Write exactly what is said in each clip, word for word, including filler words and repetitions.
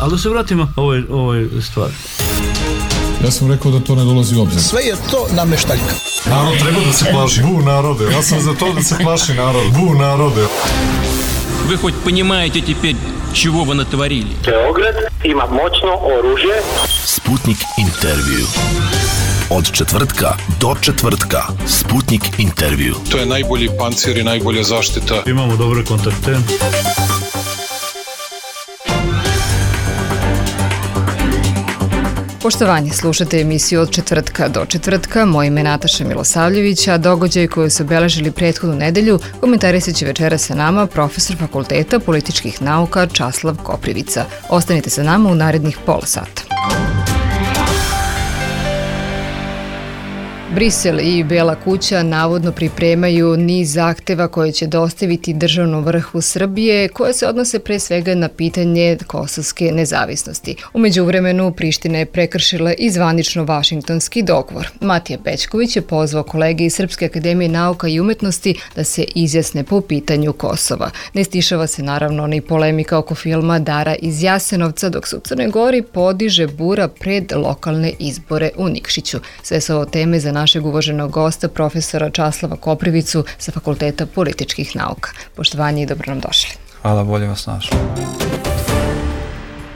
Ali da se vratimo ovoj, ovoj stvari. Ja sam rekao da to ne dolazi u obzir. Sve je to nameštaljka. Narod treba da se plaši. Bu narode. Ja sam za to da se plaši narod. Bu narode. Вы хоть понимаете теперь, чего вы натворили? Beograd ima moćno oružje. Sputnik intervju. Od četvrtka do četvrtka. Sputnik intervju. To je najbolji pancir i najbolja zaštita. Imamo dobre kontakte. Poštovanje, slušate emisiju Od četvrtka do četvrtka. Moje ime je Nataša Milosavljević, a događaj koji su obeležili prethodnu nedelju komentarisat će večera sa nama profesor Fakulteta političkih nauka Časlav Koprivica. Ostanite sa nama u narednih pola sata. Brisel i Bela kuća navodno pripremaju niz zahteva koje će dostaviti državnom vrhu Srbije, koje se odnose pre svega na pitanje kosovske nezavisnosti. U međuvremenu Priština je prekršila i zvanično vašingtonski dogovor. Matija Bećković je pozvao kolege iz Srpske akademije nauka i umetnosti da se izjasne po pitanju Kosova. Ne stišava se naravno ni polemika oko filma Dara iz Jasenovca, dok se u Crnoj Gori podiže bura pred lokalne izbore u Nikšiću. Sve su ovo teme za našeg uvaženog gosta, profesora Časlava Koprivicu sa Fakulteta političkih nauka. Poštovanje i dobro nam došli. Hvala, bolje vas našli.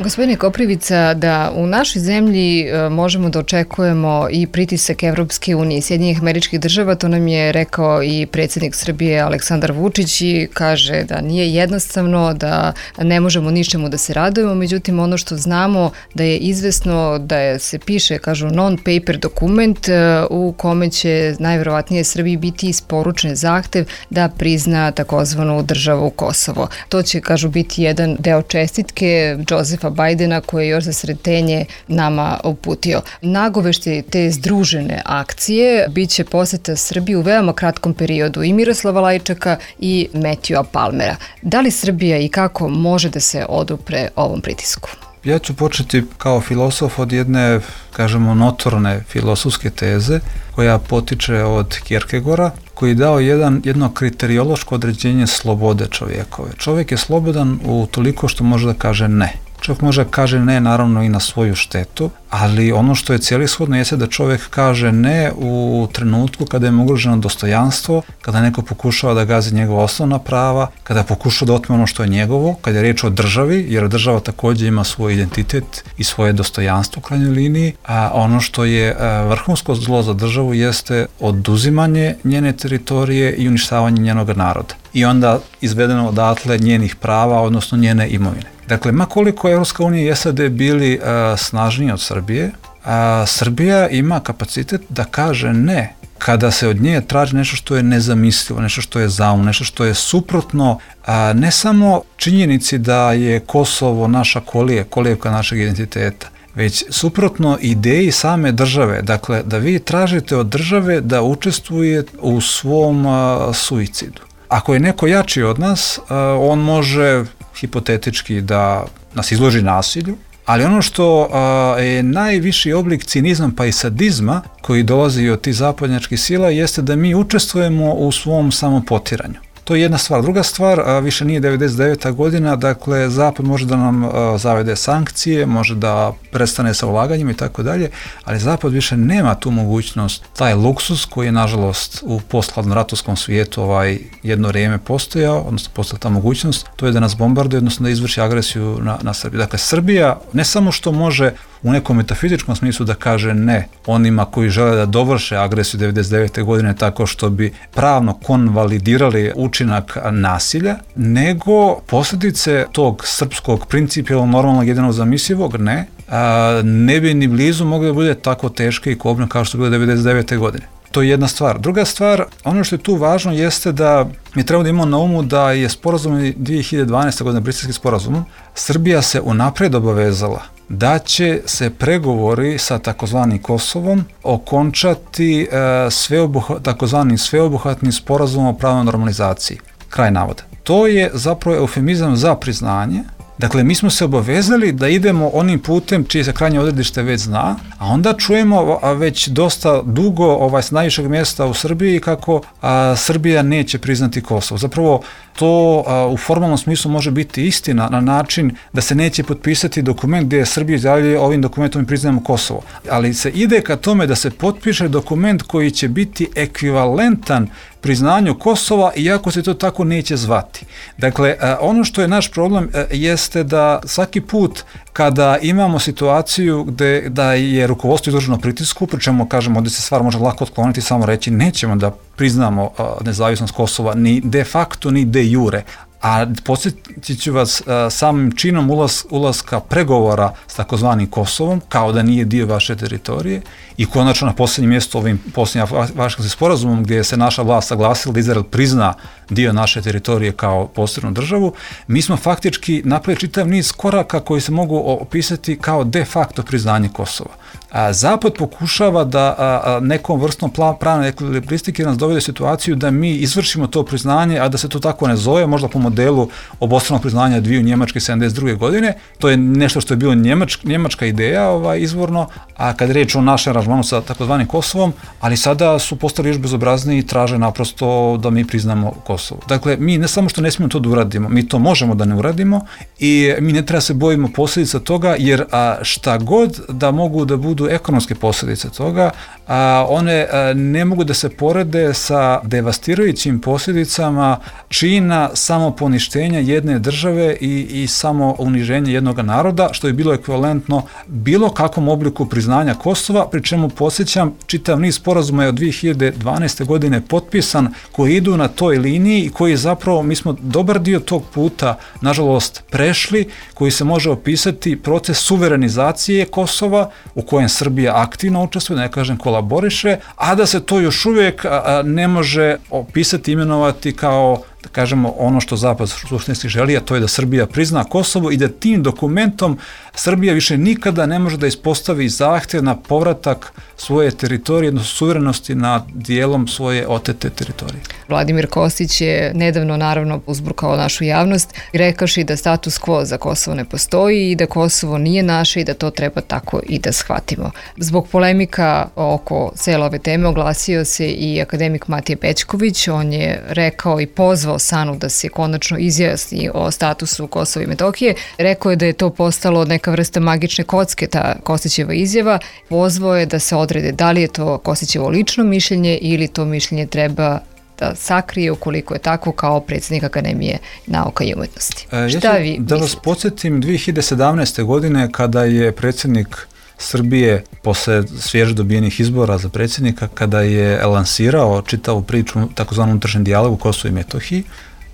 Gospodine Koprivica, da u našoj zemlji možemo da očekujemo i pritisak Evropske unije i Sjedinjenih Američkih Država, to nam je rekao i predsjednik Srbije Aleksandar Vučić i kaže da nije jednostavno, da ne možemo ničemu da se radujemo, međutim ono što znamo da je izvesno da je, se piše, kažu, non-paper dokument u kome će najverovatnije Srbiji biti isporučen zahtev da prizna takozvanu državu Kosovo. To će, kažu, biti jedan deo čestitke Josefa Bajdena koje je još za sretenje nama uputio. Nagovešte te združene akcije bit će poseta Srbiji u veoma kratkom periodu i Miroslava Lajčaka i Matthewa Palmera. Da li Srbija i kako može da se odupre ovom pritisku? Ja ću početi kao filosof od jedne, kažemo, notorne filosofske teze koja potiče od Kierkegaarda, koji je dao jedan, jedno kriteriološko određenje slobode čovjekove. Čovjek je slobodan u toliko što može da kaže ne. Čovjek može da kaže ne, naravno, i na svoju štetu, ali ono što je celishodno jeste da čovjek kaže ne u trenutku kada je ugroženo dostojanstvo, kada neko pokušava da gazi njegova osnovna prava, kada pokušava da otme ono što je njegovo, kada je riječ o državi, jer država također ima svoj identitet i svoje dostojanstvo u krajnjoj liniji, a ono što je vrhunsko zlo za državu jeste oduzimanje njene teritorije i uništavanje njenog naroda. I onda izvedeno odatle njenih prava, odnosno njene imovine. Dakle, ma koliko Evropska unija i S A D bili uh, snažniji od Srbije, a Srbija ima kapacitet da kaže ne kada se od nje traži nešto što je nezamislivo, nešto što je zaum, nešto što je suprotno a, ne samo činjenici da je Kosovo naša kolije, kolijevka našeg identiteta, već suprotno ideji same države. Dakle, da vi tražite od države da učestvuje u svom a, suicidu. Ako je neko jači od nas, a, on može hipotetički da nas izloži nasilju, ali ono što a, je najviši oblik cinizma pa i sadizma koji dolazi od tih zapadnjačkih sila jeste da mi učestvujemo u svom samopotiranju. To je jedna stvar. Druga stvar, a, više nije devedeset deveta godina, dakle Zapad može da nam a, zavede sankcije, može da prestane sa ulaganjima i tako dalje, ali Zapad više nema tu mogućnost, taj luksus koji je nažalost u posthladnom ratovskom svijetu ovaj jedno vrijeme postojao, odnosno postojala ta mogućnost, to je da nas bombarduje, odnosno da izvrši agresiju na, na Srbiju. Dakle, Srbija ne samo što može u nekom metafizičkom smislu da kaže ne onima koji žele da dovrše agresiju devedeset devete godine tako što bi pravno konvalidirali učinak nasilja, nego posljedice tog srpskog principijalno normalnog jedinog zamislivog ne, a, ne bi ni blizu mogli da bude tako teške i kobne kao što je bilo devedeset devete godine. To je jedna stvar. Druga stvar, ono što je tu važno jeste da mi trebamo da imamo na umu da je sporazum dvije hiljade dvanaeste. godine, Briselski sporazum, Srbija se unaprijed obavezala da će se pregovori sa takozvanim Kosovom okončati e, sveobuha, takozvanim sveobuhvatnim sporazumom o pravnoj normalizaciji. Kraj navoda. To je zapravo eufemizam za priznanje Dakle, mi smo se obavezali da idemo onim putem čije se krajnje odredište već zna, a onda čujemo a već dosta dugo ovaj, s najvišeg mjesta u Srbiji kako a, Srbija neće priznati Kosovo. Zapravo, to a, u formalnom smislu može biti istina na način da se neće potpisati dokument gdje Srbija izjavljuje ovim dokumentom mi priznajemo Kosovo. Ali se ide ka tome da se potpiše dokument koji će biti ekvivalentan priznanju Kosova, iako se to tako neće zvati. Dakle, ono što je naš problem jeste da svaki put kada imamo situaciju gde da je rukovodstvo izloženo pritisku, pri čemu kažemo ovdje se stvar može lako otkloniti, samo reći nećemo da priznamo nezavisnost Kosova ni de facto ni de jure. A podsjetit ću vas, samim činom ulaz, ulaska pregovora s takozvanim Kosovom, kao da nije dio vaše teritorije, i konačno na posljednjem mjestu ovim posljednjim Vašingtonskim sporazumom gdje se naša vlast saglasila da Izrael prizna dio naše teritorije kao posebnu državu, mi smo faktički napravili čitav niz koraka koji se mogu opisati kao de facto priznanje Kosova. A Zapad pokušava da a, a, nekom vrstom pravne ekvilibristike nas dovede u situaciju da mi izvršimo to priznanje, a da se to tako ne zove, možda po modelu obostranog priznanja dviju Njemačke sedamdeset druge godine. To je nešto što je bilo njemačka, njemačka ideja ovaj, izvorno, a kad je riječ o našem aranžmanu sa takozvanim Kosovom, ali sada su postali još bezobrazniji i traže naprosto da mi priznamo Kosovo. Dakle, mi ne samo što ne smijemo to da uradimo, mi to možemo da ne uradimo i mi ne treba se bojimo posljedica toga, jer a, šta god da mogu da budu ekonomske posljedice toga, a, one a, ne mogu da se porede sa devastirajućim posljedicama čina samoponištenja jedne države i, i samo uniženja jednog naroda, što je bilo ekvivalentno bilo kakvom obliku priznanja Kosova, pri čemu podsjećam, čitav niz sporazuma je od dvije hiljade dvanaeste. godine potpisan koji idu na toj liniji i koji zapravo, mi smo dobar dio tog puta, nažalost, prešli, koji se može opisati proces suverenizacije Kosova, u kojem Srbija aktivno učestvuje, ne kažem kolaboriše, a da se to još uvijek a, ne može opisati, imenovati kao, da kažemo, ono što Zapad suštinski želi, a to je da Srbija prizna Kosovo i da tim dokumentom Srbija više nikada ne može da ispostavi zahtjev na povratak svoje teritorije, odnosno suverenosti nad dijelom svoje otete teritorije. Vladimir Kostić je nedavno naravno uzburkao našu javnost, rekavši da status quo za Kosovo ne postoji i da Kosovo nije naše i da to treba tako i da shvatimo. Zbog polemika oko cele ove teme oglasio se i akademik Matija Bećković. On je rekao i pozvao SANU da se konačno izjasni o statusu Kosova i Metohije. Rekao je da je to postalo neka vrsta magične kocke, ta Kostićeva izjava. Pozvao je da se odrede da li je to Kostićevo lično mišljenje ili to mišljenje treba da sakrije ukoliko je tako kao predsjednik Akademije nauka i umetnosti. E, Šta ja vi mislite? Da vas podsjetim, dvije hiljade sedamnaeste. godine kada je predsjednik Srbije posle svježe dobijenih izbora za predsjednika, kada je lansirao čitavu priču takozvanom unutrašnjem dijalogu Kosovo i Metohiji,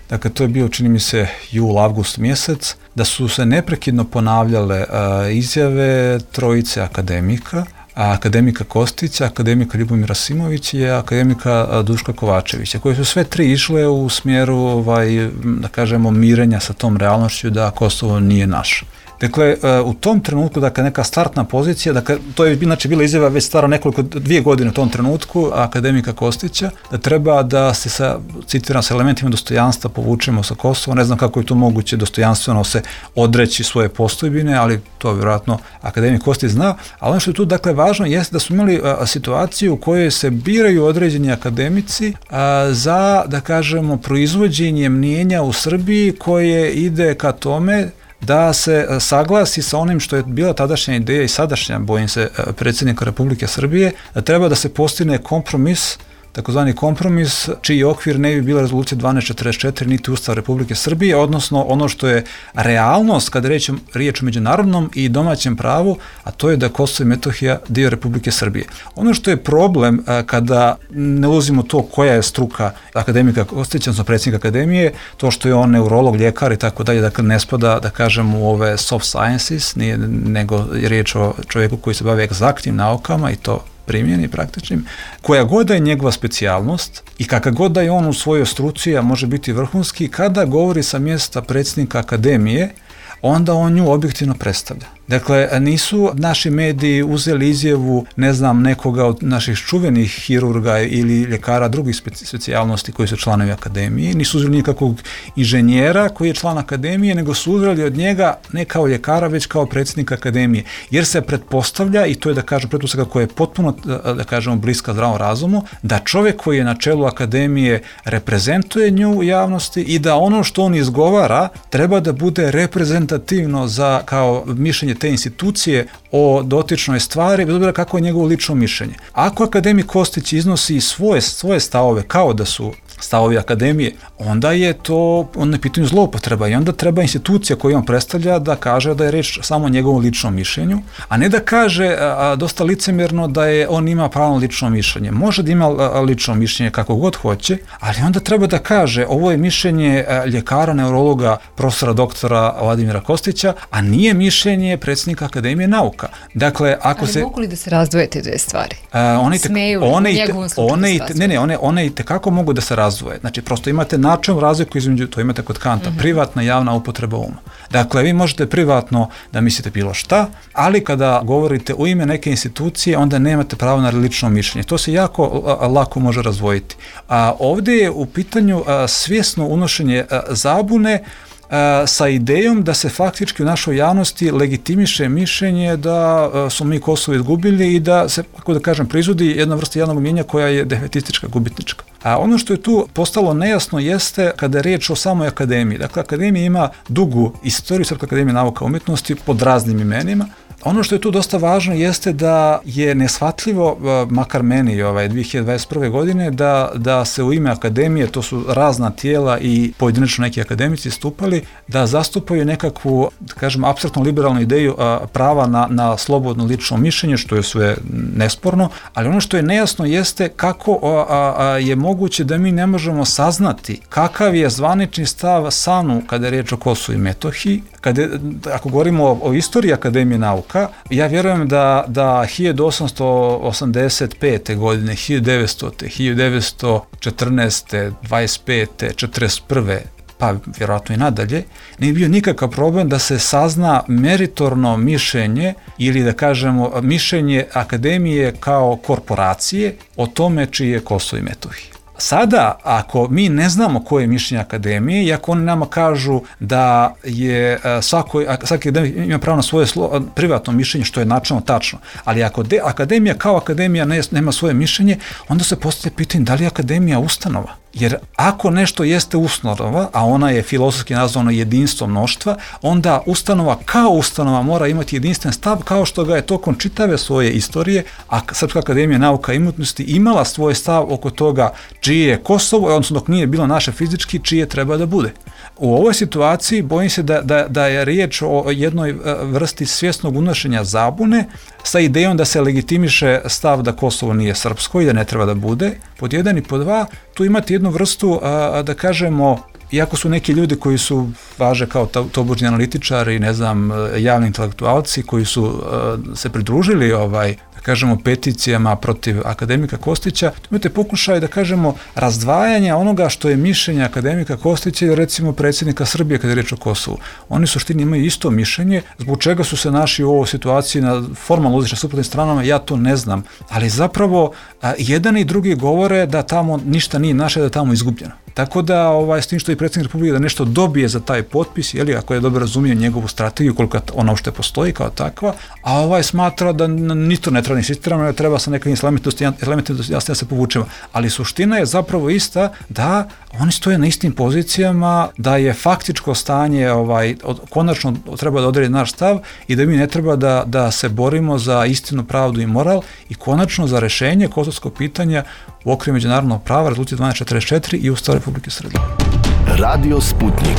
dakle to je bio, čini mi se, jul, avgust mjesec, da su se neprekidno ponavljale a, izjave trojice akademika, a akademika Kostića, akademika Ljubomira Simovića i akademika Duška Kovačevića, koje su sve tri išle u smjeru, ovaj, da kažemo, mirenja sa tom realnošću da Kosovo nije naše. Dakle, u tom trenutku, dakle, neka startna pozicija, dakle, to je znači bila izjava već stara nekoliko, dvije godine u tom trenutku, akademika Kostića, da treba da se sa, citiram, sa elementima dostojanstva povučemo sa Kosova. Ne znam kako je to moguće dostojanstveno se odreći svoje postojbine, ali to vjerojatno akademik Kostić zna. Ali ono što je tu, dakle, važno jeste da smo imali a, situaciju u kojoj se biraju određeni akademici a, za, da kažemo, proizvođenje mnijenja u Srbiji koje ide ka tome da se saglasi sa onim što je bila tadašnja ideja i sadašnja, bojim se, predsjednika Republike Srbije, da treba da se postigne kompromis, takozvani kompromis, čiji okvir ne bi bila rezolucija dvanaest četrdeset četiri niti Ustav Republike Srbije, odnosno ono što je realnost kada je riječ o međunarodnom i domaćem pravu, a to je da Kosovo i Metohija dio Republike Srbije. Ono što je problem kada ne ulazimo to koja je struka akademika Kostića, odnosno predsjednika akademije, to što je on neurolog, ljekar i tako dalje, dakle ne spada, da kažem, u ove soft sciences, nije, nego je riječ o čovjeku koji se bavi egzaktnim naukama i to primjeni praktičnim, koja god da je njegova specijalnost i kakav god da je on u svojoj struci, a može biti vrhunski, kada govori sa mjesta predsjednika akademije, onda on nju objektivno predstavlja. Dakle, nisu naši mediji uzeli izjavu, ne znam, nekoga od naših čuvenih hirurga ili ljekara drugih specijalnosti koji su članovi akademije, nisu uzeli nikakvog inženjera koji je član akademije, nego su uzeli od njega ne kao ljekara, već kao predsjednik akademije. Jer se pretpostavlja, i to je da kažem pretpostavka koja je potpuno, da kažemo, bliska zdravom razumu, da čovjek koji je na čelu akademije reprezentuje nju u javnosti i da ono što on izgovara treba da bude reprezentativno za kao mišljenje te institucije o dotičnoj stvari, bez obzira kako je njegovo lično mišljenje. Ako akademik Kostić iznosi svoje, svoje stavove kao da su stavovi akademije, onda je to onda je pitanje zloupotreba i onda treba institucija koju on predstavlja da kaže da je reč samo o njegovom ličnom mišljenju, a ne da kaže a, dosta licemjerno da je on ima pravo lično mišljenje. Može da ima lično mišljenje kako god hoće, ali onda treba da kaže ovo je mišljenje ljekara, neurologa, profesora doktora Vladimira Kostića, a nije mišljenje predsjednika Akademije nauka. Dakle, ako ali se... mogu li da se razdvoje te dve stvari? A, one te, Smeju one u te, njegovom slučaju one se te, ne, ne, one, one i tekako mogu da se razvoje. Znači, prosto imate načelnu razliku između, to imate kod Kanta, mm-hmm. privatna i javna upotreba uma. Dakle, vi možete privatno da mislite bilo šta, ali kada govorite u ime neke institucije, onda nemate pravo na lično mišljenje. To se jako a, lako može razvojiti. A ovdje je u pitanju a, svjesno unošenje a, zabune sa idejom da se faktički u našoj javnosti legitimiše mišljenje da su mi Kosovo izgubili i da se, kako da kažem, proizvodi jedna vrsta javnog mnijenja koja je defetistička, gubitnička. A ono što je tu postalo nejasno jeste kada je riječ o samoj akademiji. Dakle, akademija ima dugu istoriju, Srpska akademija nauka i umjetnosti pod raznim imenima. Ono što je tu dosta važno jeste da je neshvatljivo, makar meni ovaj, dvije hiljade dvadeset prve. godine, da, da se u ime akademije, to su razna tijela i pojedinačno neki akademici stupali, da zastupaju nekakvu, da kažem, apstraktno liberalnu ideju a, prava na, na slobodno lično mišljenje, što je sve nesporno, ali ono što je nejasno jeste kako a, a, a, je moguće da mi ne možemo saznati kakav je zvanični stav S A N U kada je riječ o Kosovu i Metohiji. Kada, ako govorimo o, o istoriji Akademije nauka, ja vjerujem da, da hiljadu osamsto osamdeset pete. godine, hiljadu devetstote. hiljadu devetsto četrnaeste. dvadeset pete. četrdeset prve. pa vjerojatno i nadalje, nije bio nikakav problem da se sazna meritorno mišljenje ili da kažemo mišljenje Akademije kao korporacije o tome čiji je Kosovo i Metohija. Sada, ako mi ne znamo koje je mišljenje Akademije i ako oni nama kažu da je svako, svaki akademik ima pravo na svoje slo, privatno mišljenje, što je načelno tačno, ali ako de, Akademija kao Akademija ne, nema svoje mišljenje, onda se postavlja pitanje da li je Akademija ustanova. Jer ako nešto jeste ustanova, a ona je filozofski nazvana jedinstvo mnoštva, onda ustanova kao ustanova mora imati jedinstven stav, kao što ga je tokom čitave svoje istorije, a Srpska akademija nauka i umjetnosti imala svoj stav oko toga čije je Kosovo, odnosno dok nije bilo naše fizički, čije treba da bude. U ovoj situaciji bojim se da, da, da je riječ o jednoj vrsti svjesnog unošenja zabune sa idejom da se legitimiše stav da Kosovo nije srpsko i da ne treba da bude, pod jedan i pod dva, tu imate jednu vrstu, a, da kažemo, iako su neki ljudi koji su važe kao tobožnji analitičari, ne znam, javni intelektualci koji su a, se pridružili ovaj, da kažemo, peticijama protiv akademika Kostića, tu imate pokušaj, da kažemo, razdvajanja onoga što je mišljenje akademika Kostića i recimo predsjednika Srbije kada je riječ o Kosovu. Oni u suštini imaju isto mišljenje, zbog čega su se naši u ovoj situaciji na formalno uzvišće suprotnim stranama, ja to ne znam, ali zapravo a, jedan i drugi govore da tamo ništa nije naše, da je tamo izgubljeno. Tako da, ovaj, s tim što i predsjednik Republike da nešto dobije za taj potpis, jeli, ako je dobro razumio njegovu strategiju, koliko ona uopšte postoji kao takva, a ovaj smatra da ni to ne treba ni insistiramo, ne treba sa nekim elementima jasno da se povučemo. Ali suština je zapravo ista da oni stoje na istim pozicijama, da je faktičko stanje ovaj, od, konačno treba da odredi naš stav i da mi ne treba da, da se borimo za istinu, pravdu i moral i konačno za rešenje kosovskog pitanja u okviru međunarodnog prava, rezolucije dvanaest četrdeset četiri i Ustava Republike Srbije. Radio Sputnik.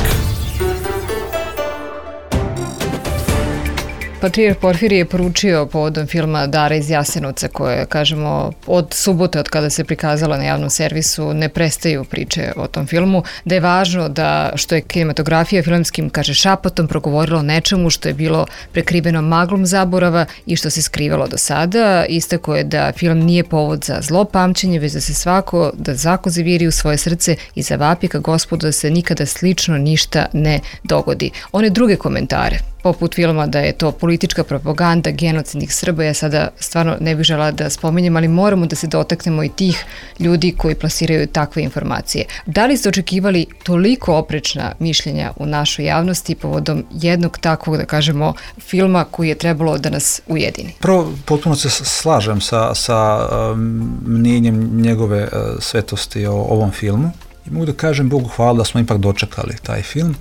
Patrijarh Porfirije je poručio povodom filma Dara iz Jasenovca, koje, kažemo, od subote, od kada se prikazala na javnom servisu, ne prestaju priče o tom filmu, da je važno da što je kinematografija filmskim, kaže, šapatom progovorila o nečemu što je bilo prekriveno maglom zaborava i što se skrivalo do sada. Istako je da film nije povod za zlo pamćenje, već da se svako, da zakon zaviri u svoje srce i zavapi ka Gospodu da se nikada slično ništa ne dogodi. One druge komentare poput filma da je to politička propaganda genocidnih Srba. Ja sada stvarno ne bih žela da spominjem, ali moramo da se dotaknemo i tih ljudi koji plasiraju takve informacije. Da li ste očekivali toliko oprečna mišljenja u našoj javnosti povodom jednog takvog, da kažemo, filma koji je trebalo da nas ujedini? Prvo, potpuno se slažem sa, sa um, mnjenjem njegove uh, svetosti o ovom filmu. I mogu da kažem Bogu hvala da smo ipak dočekali taj film.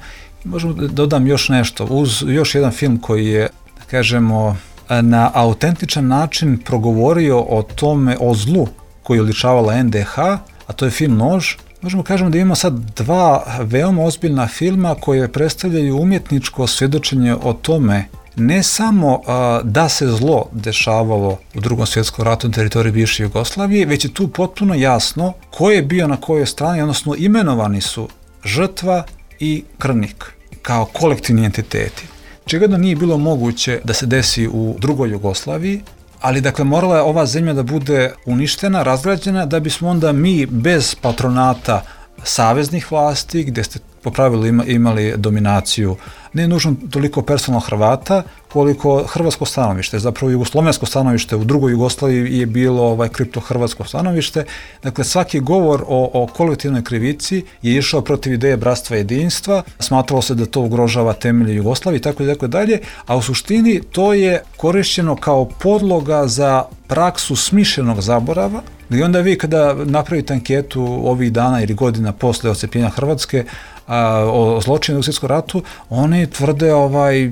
I možemo da dodam još nešto. Uz još jedan film koji je, da kažemo, na autentičan način progovorio o tome, o zlu koji je oličavala en de ha, a to je film Nož. Možemo kažemo da imamo sad dva veoma ozbiljna filma koje predstavljaju umjetničko svjedočenje o tome ne samo a, da se zlo dešavalo u Drugom svjetskom ratu na teritoriji bivše Jugoslavije, već je tu potpuno jasno ko je bio na kojoj strani, odnosno imenovani su žrtva i krvnik kao kolektivni entiteti. Čega da nije bilo moguće da se desi u drugoj Jugoslaviji, ali dakle morala je ova zemlja da bude uništena, razgrađena, da bismo onda mi bez patronata saveznih vlasti, gdje ste po pravilu ima, imali dominaciju ne nužno toliko personalno Hrvata, koliko hrvatsko stanovište. Zapravo jugoslovensko stanovište u drugoj Jugoslaviji je bilo ovaj kripto-hrvatsko stanovište. Dakle, svaki govor o, o kolektivnoj krivici je išao protiv ideje bratstva i jedinstva, smatralo se da to ugrožava temelje Jugoslavije i tako i tako dalje, a u suštini to je korišćeno kao podloga za praksu smišljenog zaborava, i onda vi kada napravite anketu ovih dana ili godina posle odcepljenja Hrvatske a, o zločinu u svjetskom ratu, oni tvrde, ovaj,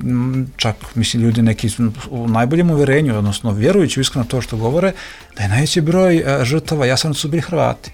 čak mislim ljudi neki u najboljem uverenju, odnosno vjerujući iskreno to što govore, da je najveći broj a, žrtava Jasenovca su bili Hrvati.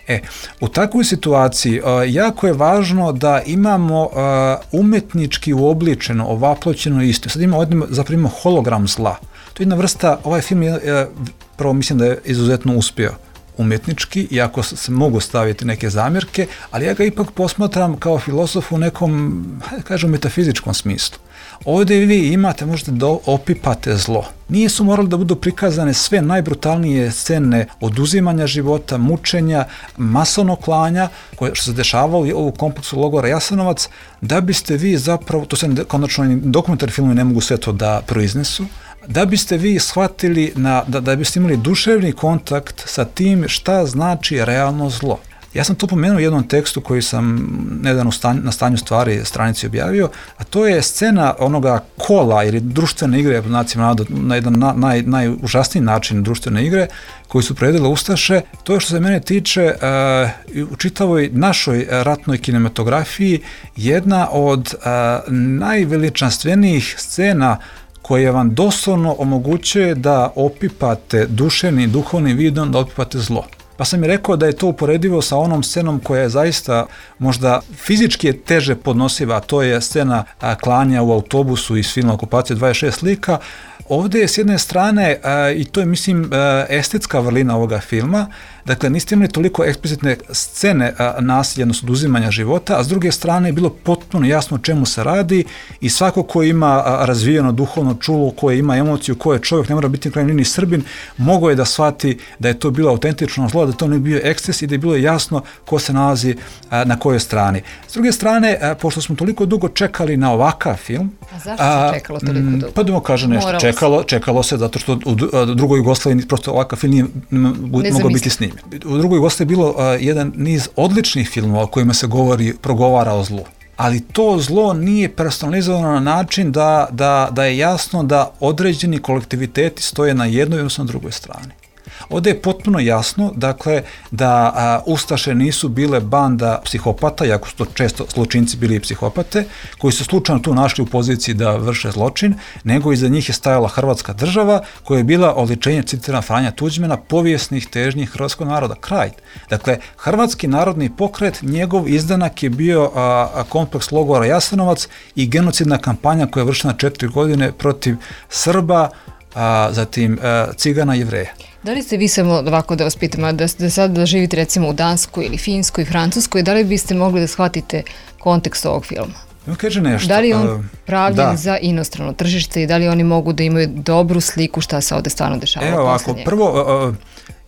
E, u takvoj situaciji a, jako je važno da imamo a, umetnički uobličeno, ovaploćeno istinu. Sad imamo zapravo hologram zla. To je jedna vrsta, ovaj film je, je prvo mislim da je izuzetno uspio umjetnički, iako se mogu staviti neke zamjerke, ali ja ga ipak posmatram kao filozof u nekom, hajde kažem, metafizičkom smislu. Ovdje vi imate, možete da opipate zlo. Nisu morali da budu prikazane sve najbrutalnije scene oduzimanja života, mučenja, masovnog klanja, koje što se dešavalo u kompleksu logora Jasenovac, da biste vi zapravo, to se konačno dokumentarni filmovi ne mogu sve to da proiznesu, da biste vi shvatili, na, da, da biste imali duševni kontakt sa tim šta znači realno zlo. Ja sam to pomenuo u jednom tekstu koji sam nedavno na stanju stvari stranici objavio, a to je scena onoga kola ili društvene igre, na jedan na, naj, najužasniji način društvene igre, koji su predele Ustaše. To je što se mene tiče uh, u čitavoj našoj ratnoj kinematografiji jedna od uh, najveličanstvenijih scena koje vam doslovno omogućuje da opipate duševni i duhovni vidom, da opipate zlo. Pa sam mi rekao da je to uporedivo sa onom scenom koja je zaista možda fizički je teže podnosiva, a to je scena a, klanja u autobusu iz filma Okupacija dvadeset šest lika. Ovdje je s jedne strane, a, i to je mislim a, estetska vrlina ovoga filma, dakle niste imali toliko eksplicitne scene a, nasilja, odnosno oduzimanja života, a s druge strane je bilo potpuno jasno o čemu se radi i svako ko ima a, razvijeno duhovno čulo, ko ima emociju, ko je čovjek, ne mora biti na krajnjoj liniji Srbin, mogao je da shvati da je to bilo autentično zlo, da to ne bio eksces i da je bilo jasno ko se nalazi a, na kojoj strani. S druge strane, a, pošto smo toliko dugo čekali na ovakav film... A zašto se čekalo toliko dugo? Pa da mu kaže nešto, čekalo, čekalo se zato što u drugoj Jugoslaviji prosto ovakav film nije mogao biti snimen. U drugoj Jugoslaviji je bilo a, jedan niz odličnih filmova o kojima se govori, progovara o zlu. Ali to zlo nije personalizovano na način da, da, da je jasno da određeni kolektiviteti stoje na jednoj odnosno na drugoj strani. Ovdje je potpuno jasno, dakle, da a, Ustaše nisu bile banda psihopata, iako su to često zločinci bili i psihopate, koji su slučajno tu našli u poziciji da vrše zločin, nego iza njih je stajala Hrvatska država, koja je bila oličenje, citiram Franja Tuđmana, povijesnih težnji hrvatskog naroda. Kraj. Dakle, Hrvatski narodni pokret, njegov izdanak je bio a, a, kompleks logora Jasenovac i genocidna kampanja koja je vršena četiri godine protiv Srba, a, zatim a, Cigana i Jevreja. Da li ste vi samo ovako da vas pitam, da, da sad da živite recimo u Danskoj ili Finskoj, Francuskoj, da li biste mogli da shvatite kontekst ovog filma? Kaže nešto. Da li je on uh, pravljen da. za inostrano tržište i da li oni mogu da imaju dobru sliku šta se ovde stvarno dešava? Evo ovako, prvo,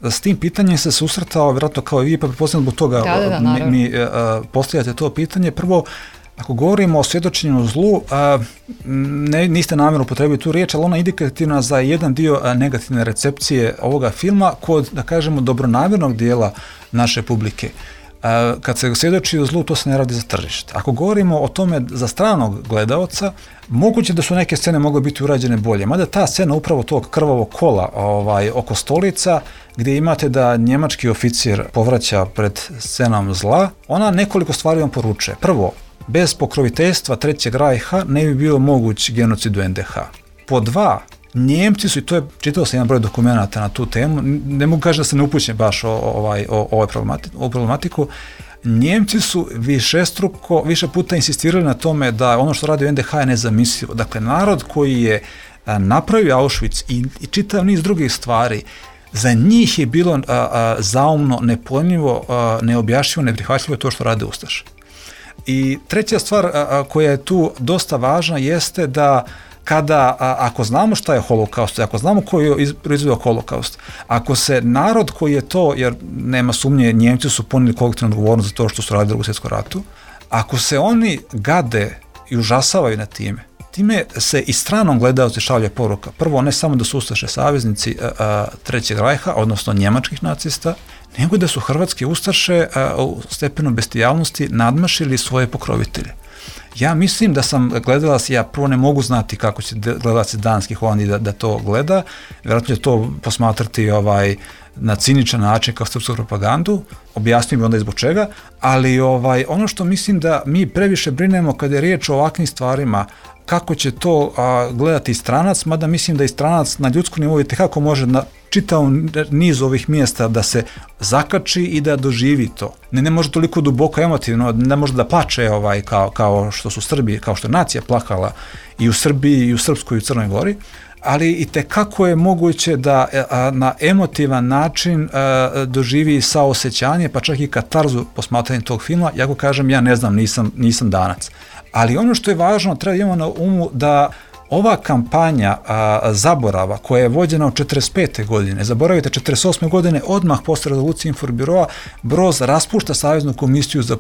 uh, s tim pitanjem se susretao, vjerojatno kao i vi, pa pretpostavljam zbog toga da, da, da, mi, mi uh, postavljate to pitanje. Prvo, ako govorimo o svjedočenju zlu, uh, ne, niste namjerno upotrebili tu riječ, ali ona je indikativna za jedan dio negativne recepcije ovoga filma kod, da kažemo, dobronamjernog dijela naše publike. Kad se svjedoči o zlu, to se ne radi za tržište. Ako govorimo o tome za stranog gledaoca, moguće da su neke scene mogle biti urađene bolje, mada ta scena upravo tog krvavog kola ovaj, oko stolica, gdje imate da njemački oficir povraća pred scenom zla, ona nekoliko stvari vam poručuje. Prvo, bez pokroviteljstva Trećeg rajha ne bi bio moguć genocid u en de ha. Po dva, Njemci su, i to je, čitao sam jedan broj dokumenata na tu temu, ne mogu kaži da se ne upućem baš o, ovaj, o, o, o problematiku, Njemci su višestruko, više puta insistirali na tome da ono što radi u en de ha je nezamislivo. Dakle, narod koji je napravio Auschwitz i, i čitav niz drugih stvari, za njih je bilo a, a, zaumno, nepojmljivo, a, neobjašnjivo, neprihvatljivo to što rade ustaše. I treća stvar a, a, koja je tu dosta važna jeste da kada, a, ako znamo šta je holokaust, ako znamo koji je proizveo holokaust, ako se narod koji je to, jer nema sumnje, Njemci su ponijeli kolektivnu odgovornost za to što su radili u Drugom svjetskom ratu, ako se oni gade i užasavaju na time, time se i stranom gledaoci šalje poruka. Prvo, ne samo da su ustaše saveznici a, a, Trećeg rajha, odnosno njemačkih nacista, nego da su hrvatski ustaše a, u stepenu bestijalnosti nadmašili svoje pokrovitelje. Ja mislim da sam gledalac, ja prvo ne mogu znati kako će gledalac danski Holandiji da, da to gleda, vjerojatno će to posmatrati ovaj, na ciničan način kao srpsku propagandu, objasnio mi onda i zbog čega, ali ovaj, ono što mislim da mi previše brinemo kada je riječ o ovakvim stvarima, kako će to a, gledati stranac, mada mislim da i stranac na ljudskom nivou i tekako može na čitav niz ovih mjesta da se zakači i da doživi to. Ne, ne može toliko duboko emotivno, ne može da plače ovaj, kao, kao što su Srbi, kao što je nacija plakala i u Srbiji, i u Srpskoj, i u Crnoj Gori, ali i tekako je moguće da a, na emotivan način a, doživi saosećanje, pa čak i katarzu posmatranjem tog filma. Ja go kažem, ja ne znam, nisam, nisam danac. Ali ono što je važno, treba imamo na umu da ova kampanja a, zaborava koja je vođena od četrdeset pete godine, zaboravite četrdeset osme godine, odmah posle rezolucije Informbiroa, Broz raspušta Saveznu komisiju za,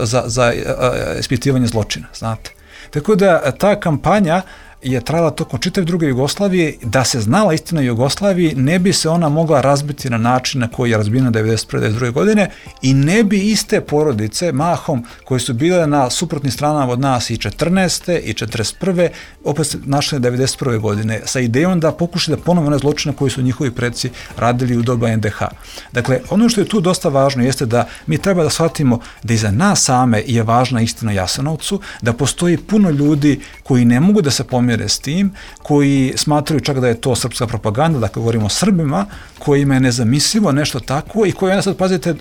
za, za a, ispitivanje zločina, znate. Tako da ta kampanja je trajala tokom čitave druge Jugoslavije, da se znala istina o Jugoslaviji, ne bi se ona mogla razbiti na način na koji je razbijena devedeset prve devedeset druge godine i ne bi iste porodice, mahom, koje su bile na suprotnim stranama od nas i četrnaeste i četrdeset prve opet se našle devedeset prve godine, sa idejom da pokušaju da ponovo one zločine koji su njihovi preci radili u doba en de ha. Dakle, ono što je tu dosta važno jeste da mi treba da shvatimo da i za nas same je važna istina o Jasenovcu, da postoji puno ljudi koji ne mogu da se pomire s tim, koji smatraju čak da je to srpska propaganda, dakle govorimo o Srbima, kojima je nezamislivo nešto tako i koji onda sad pazite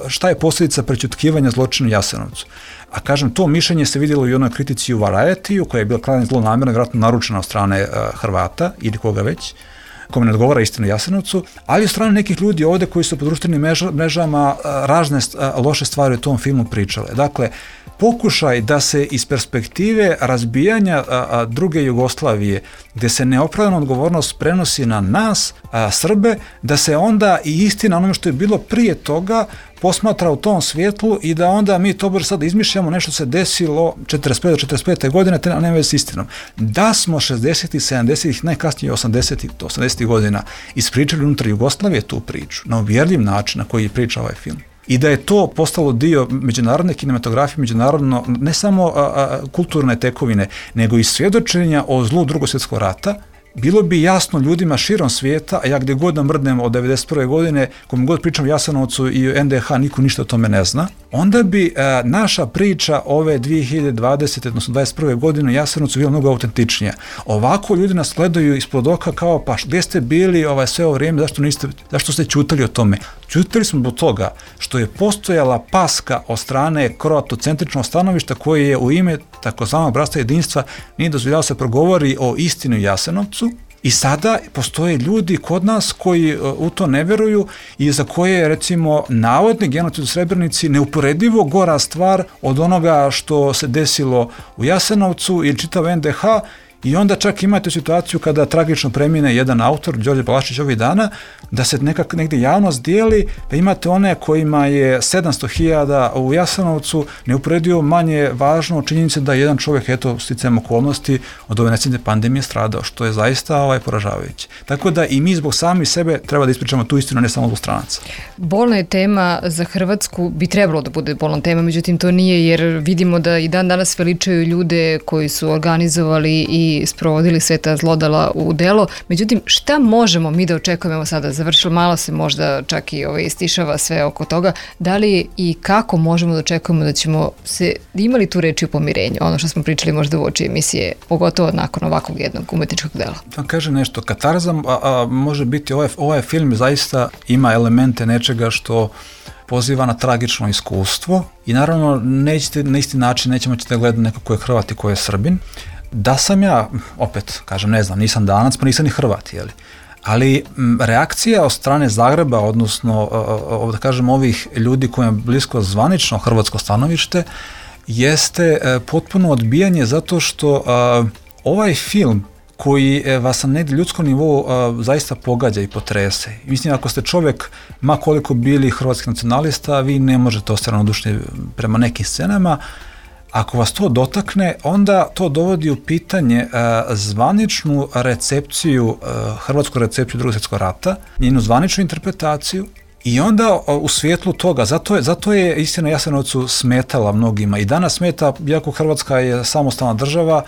šta je posljedica prećutkivanja zločina u Jasenovcu. A kažem, to mišljenje se vidjelo i u onoj kritici u Variety-u, koja je bila krajnje zlonamjerna, vjerojatno naručena od strane Hrvata ili koga već, kome ne odgovara istina o Jasenovcu, ali od strane nekih ljudi ovdje koji su po društvenim mrežama razne loše stvari o tom filmu pričale. Dakle, pokušaj da se iz perspektive razbijanja a, a, druge Jugoslavije, gdje se neopravdana odgovornost prenosi na nas, a, Srbe, da se onda i istina onome što je bilo prije toga posmatra u tom svjetlu i da onda mi to sad izmišljamo nešto se desilo četrdeset pete do četrdeset pete godine, te nema veze s istinom. Da smo šezdesetih, sedamdesetih, najkasnije osamdesetih, osamdesetih godina ispričali unutar Jugoslavije tu priču, na uvjerljiv način na koji je priča ovaj film. I da je to postalo dio međunarodne kinematografije, međunarodno, ne samo a, a, kulturne tekovine, nego i svjedočenja o zlu Drugog svjetskog rata, bilo bi jasno ljudima širom svijeta, a ja gdje god namrdnem od devedeset prve godine, kome god pričam o Jasenovcu i o en de ha, niko ništa o tome ne zna, onda bi a, naša priča ove dvije hiljade dvadesete, odnosno dvadeset prve godine o Jasenovcu bila mnogo autentičnija. Ovako ljudi nas gledaju ispod oka kao, pa gdje ste bili ovaj, sve ovo vrijeme, zašto, niste, zašto ste ćutali o tome? Ćutali smo do toga što je postojala paska od strane kroatocentričnog stanovišta koje je u ime takozvanog bratstva jedinstva nije dozvoljavao se progovori o istini u Jasenovcu. I sada postoje ljudi kod nas koji u to ne vjeruju i za koje je, recimo, navodni genocid u Srebrenici neuporedivo gora stvar od onoga što se desilo u Jasenovcu ili čitav en de ha, I onda čak imate situaciju kada tragično premine jedan autor, Đorđe Palašić ovih dana, da se nekak negdje javnost dijeli, da imate one kojima je sedamsto hiljada u Jasenovcu neuporedivo manje važno činjenice da jedan čovjek, eto, sticajem okolnosti od ove nesretne pandemije stradao, što je zaista ovaj, poražavajuće. Tako da i mi zbog sami sebe treba da ispričamo tu istinu, ne samo zbog stranaca. Bolna je tema za Hrvatsku, bi trebalo da bude bolna tema, međutim to nije, jer vidimo da i dan danas veličaju ljude koji su organizovali i sprovodili sve ta zlodala u delo. Međutim, šta možemo mi da očekujemo, evo sada završilo, malo se možda čak i ovaj, istišava sve oko toga, da li i kako možemo da očekujemo da ćemo se imali tu reči o pomirenju, ono što smo pričali možda u oči emisije, pogotovo nakon ovakvog jednog umetničkog dela. Da kažem nešto, katarza a, a, može biti, ovaj, ovaj film zaista ima elemente nečega što poziva na tragično iskustvo i naravno nećete na isti način, nećemo ćete gledati neko ko je Hrvat i ko je Srbin. Da sam ja, opet kažem, ne znam, nisam Danac, pa nisam ni Hrvat, jeli? Ali m, reakcija od strane Zagreba, odnosno, o, da kažem, ovih ljudi kojima je blisko zvanično hrvatsko stanovište, jeste e, potpuno odbijanje zato što a, ovaj film koji e, vas na negdje ljudskom nivou a, zaista pogađa i potrese. I mislim, ako ste čovjek, ma koliko bili hrvatski nacionalista, vi ne možete ostati ravnodušni prema nekim scenama. Ako vas to dotakne, onda to dovodi u pitanje uh, zvaničnu recepciju, uh, hrvatsku recepciju Drugog svjetskog rata, njenu zvaničnu interpretaciju i onda uh, u svjetlu toga, zato je, zato je istina Jasenovcu smetala mnogima i danas smeta, iako Hrvatska je samostalna država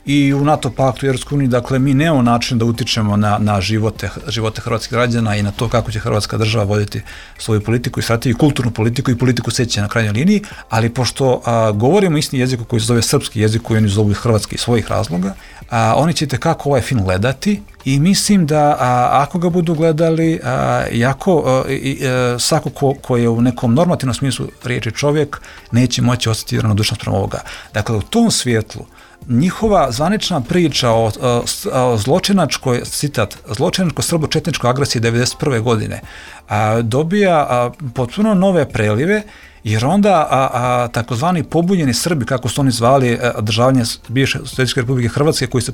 i u NATO paktu i Europskoj uniji, dakle mi nemamo način da utičemo na, na živote, živote hrvatskih građana i na to kako će Hrvatska država voditi svoju politiku i strategiju, kulturnu politiku i politiku sećanja na krajnjoj liniji, ali pošto a, govorimo isti jezik koji se zove srpski jezik, koji oni zovu hrvatski iz svojih razloga, a, oni ćete kako ovaj film gledati i mislim da a, ako ga budu gledali, a, jako, a, i, a, svako ko, ko je u nekom normativnom smislu riječi čovjek, neće moći osjetiti ravnodušnost prema ovoga. Dakle, u tom svjetlu njihova zvanična priča o, o, o zločinačkoj, citat, zločinačko-srbo-četničkoj agresiji devedeset prve godine a, dobija a, potpuno nove prelive, jer onda a, a, takozvani pobunjeni Srbi, kako su oni zvali a, državljanje bivše Socijalističke Republike Hrvatske, koji se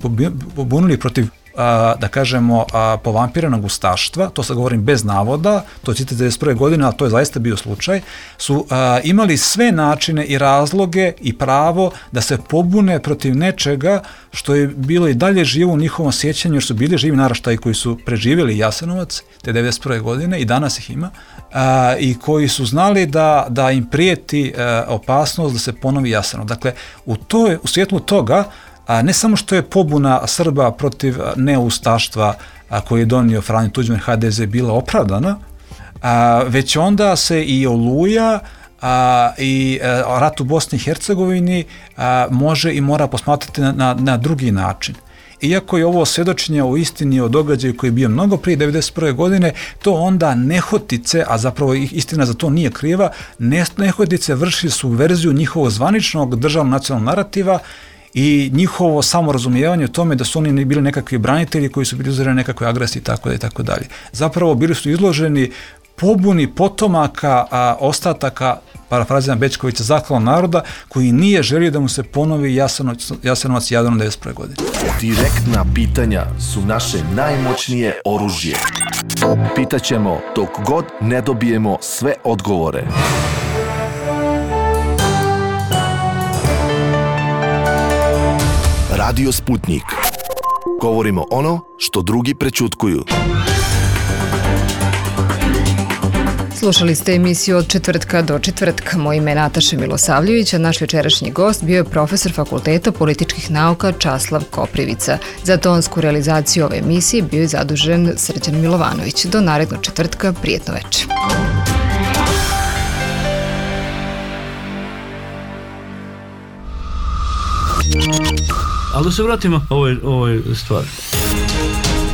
pobunili protiv a, da kažemo a, povampiranog ustaštva, to sad govorim bez navoda, to je citat devedeset prve godine, ali to je zaista bio slučaj, su a, imali sve načine i razloge i pravo da se pobune protiv nečega što je bilo i dalje živo u njihovom sjećanju, jer su bili živi naraštaji koji su preživjeli Jasenovac te devedeset prve godine i danas ih ima, a, i koji su znali da, da im prijeti a, opasnost da se ponovi Jasenovac. Dakle, u, toj, u svjetlu toga, a ne samo što je pobuna Srba protiv neustaštva a, koji je donio Franjo Tuđman H D Z bila opravdana, a, već onda se i Oluja a, i a, rat u Bosni i Hercegovini a, može i mora posmatrati na, na, na drugi način. Iako je ovo svjedočenje o istini, o događaju koji je bio mnogo prije devedeset prve godine, to onda nehotice, a zapravo istina za to nije kriva, nehotice vrši subverziju njihovog zvaničnog državnog nacionalnog narativa i njihovo samorazumijevanje o tome da su oni bili nekakvi branitelji koji su bili uzoreni nekakve agresije i tako da i tako dalje. Zapravo bili su izloženi pobuni potomaka a, ostataka, parafraziram Bećkovića, zaklanog naroda, koji nije želio da mu se ponovi Jasenovac, Jasenovac Jadran devedeset prve godine. Direktna pitanja su naše najmoćnije oružje. Pitaćemo dok god ne dobijemo sve odgovore. Radio Sputnik. Govorimo ono što drugi prećutkuju. Slušali ste emisiju Od četvrtka do četvrtka. Moje ime je Nataša Milosavljević, a naš večerašnji gost bio je profesor Fakulteta političkih nauka Časlav Koprivica. Za tonsku realizaciju ove emisije bio je zadužen Srđan Milovanović. Do narednog četvrtka, prijetno večer. Ali da se vratimo ovoj, ovoj stvari.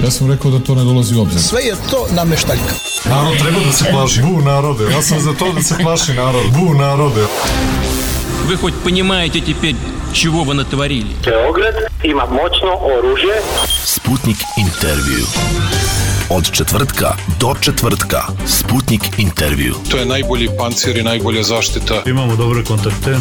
Ja sam rekao da to ne dolazi u obzir. Sve je to nameštaljka. Narod treba da se plaši. Bu narode. Ja sam za to da se plaši narod. Bu narode. Вы хоть понимаете теперь, чего вы натворили? Beograd ima moćno oružje. Sputnik intervju. Od četvrtka do četvrtka. Sputnik intervju. To je najbolji pancir i najbolja zaštita. Imamo dobre kontakte.